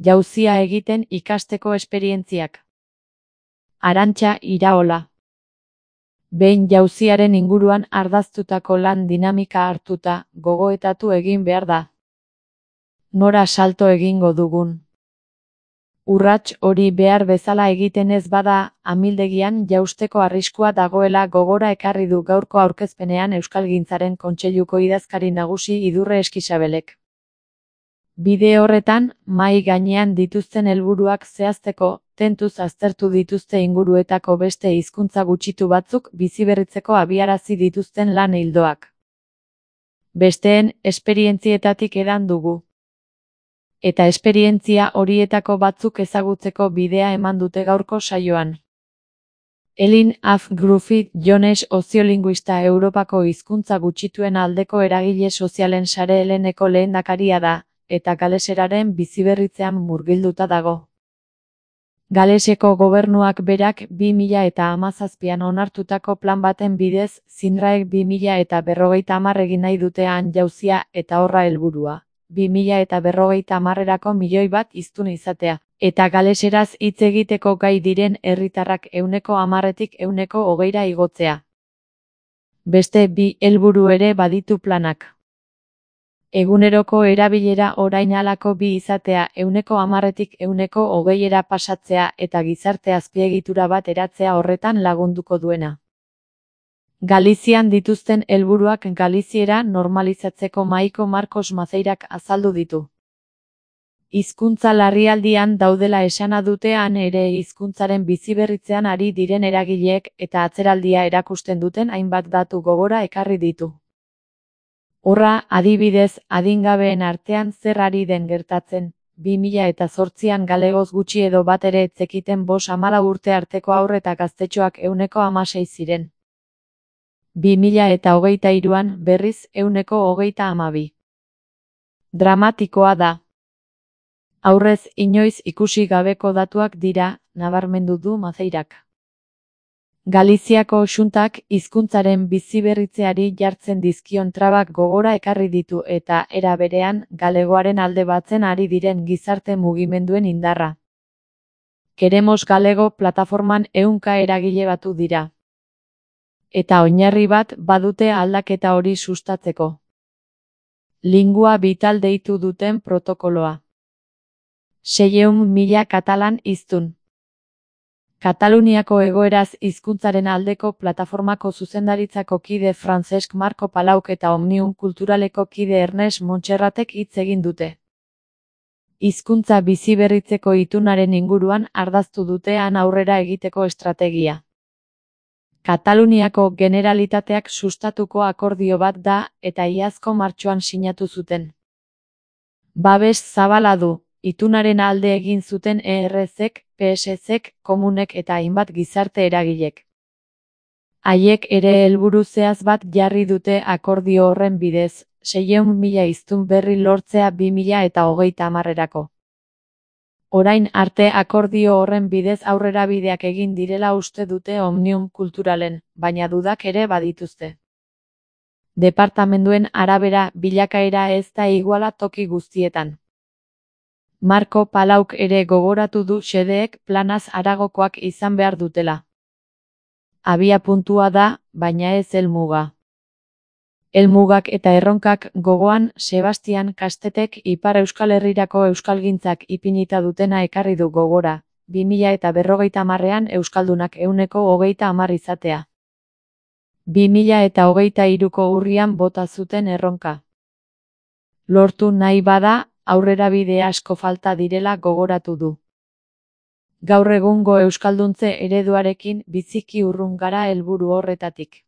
Jauzia egiten ikasteko esperientziak. Arantxa Iraola. Behin jauziaren inguruan ardaztutako lan dinamika hartuta, gogoetatu egin behar da. Nora salto egingo dugun. Urrats hori behar bezala egiten ez bada, amildegian jausteko arriskua dagoela gogora ekarri du gaurko aurkezpenean Euskalgintzaren Kontseiluko idazkari nagusi Idurre Eskixabelek. Bide horretan, mahai gainean dituzten helburuak zehazteko, tentuz aztertu dituzte inguruetako beste hizkuntza gutxitu batzuk biziberritzeko abiarazi dituzten lan ildoak. Besteen esperientzietatik edan dugu. Eta esperientzia horietako batzuk ezagutzeko bidea eman dute gaurko saioan. Elin Af Gruffit Jones soziolinguista Europako hizkuntza gutxituen aldeko eragile sozialen sare heleneko lehendakaria da, eta galeseraren biziberritzean murgilduta dago. Galeseko gobernuak berak 2017an onartutako plan baten bidez, Zinraek 2050 egin nahi dutean jauzia eta horra helburua. 2050erako 1.000.000 bat hiztun izatea, eta galeseraz hitz egiteko gai diren herritarrak 10%tik 20%ra igotzea. Beste bi helburu ere baditu planak. Eguneroko erabilera orain halako bi izatea 10%tik 20%ra pasatzea eta gizarte azpiegitura bat eratzea horretan lagunduko duena. Galizian dituzten helburuak galiziera normalizatzeko Maiko Marcos Mazeirak azaldu ditu. Hizkuntza larrialdian daudela esana dutean ere hizkuntzaren biziberritzean ari diren eragileek eta atzeraldia erakusten duten hainbat datu gogora ekarri ditu. Horra, adibidez, adingabeen artean zer ari den gertatzen, 2008an galegoz gutxi edo bat ere ez zekiten 5-14 urte arteko haur eta gaztetxoak 16% ziren. 2023an berriz 22%. Dramatikoa da. Aurrez inoiz ikusi gabeko datuak dira, nabarmendu du Mazeirak. Galiziako Xuntak hizkuntzaren biziberritzeari jartzen dizkion trabak gogora ekarri ditu eta, era berean, galegoaren alde batzen ari diren gizarte mugimenduen indarra. Queremos Galego plataforman 100 eragile batu dira. Eta oinarri bat badute aldaketa hori sustatzeko. Lingua Vital deitu duten protokoloa. 600.000 katalan hiztun. Kataluniako egoeraz hizkuntzaren aldeko plataformako zuzendaritzako kide Francesc Marco Palauk eta Omnium Kulturaleko kide Ernest Montserratek hitz egin dute. Hizkuntza biziberritzeko itunaren inguruan ardaztu dutean aurrera egiteko estrategia. Kataluniako Generalitateak sustatuko akordio bat da eta iazko martxoan sinatu zuten. Babes zabala du. Itunaren alde egin zuten ERZ-ek, PSZ-ek, komunek eta hainbat gizarte eragilek. Haiek ere helburu zehatz bat jarri dute akordio horren bidez, 600.000 hiztun berri lortzea 2030erako. Orain arte akordio horren bidez aurrerabideak egin direla uste dute Omnium Kulturalen, baina dudak ere badituzte. Departamenduen arabera bilakaera ez da iguala toki guztietan. Marco Palauk ere gogoratu du xedeek planaz haragokoak izan behar dutela. Abia puntua da, baina ez helmuga. Helmugak eta erronkak gogoan Sebastian Kastetek Ipar Euskal Herrirako euskalgintzak ipinita dutena ekarri du gogora, 2050ean euskaldunak 130 izatea. 2023ko urrian bota zuten erronka. Lortu nahi bada, aurrerabide asko falta direla gogoratu du. Gaur egungo euskalduntze ereduarekin biziki urrun gara helburu horretatik.